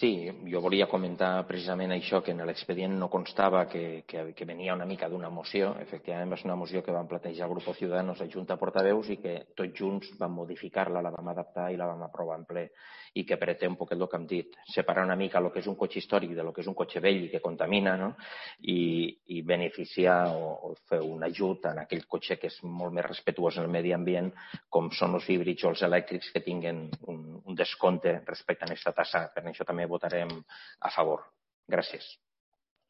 Sí, jo volia comentar precisament això, que en l'expedient no constava que venia una mica d'una moció. Efectivament, va ser una moció que van plantejar el grup Ciudadanos a Junta de Portaveus i que tots junts vam modificar-la, la vam adaptar i la vam aprovar en ple, i que pretén un poquet el que hem dit, separar una mica el que és un cotxe històric de lo que és un cotxe vell i que contamina, no? I beneficiar o fer un ajut en aquell cotxe que és molt més respetuós en el medi ambient, com són els híbrids o els elèctrics, que tinguen un descompte respecte a aquesta tassa. Per això també votarem a favor. Gràcies.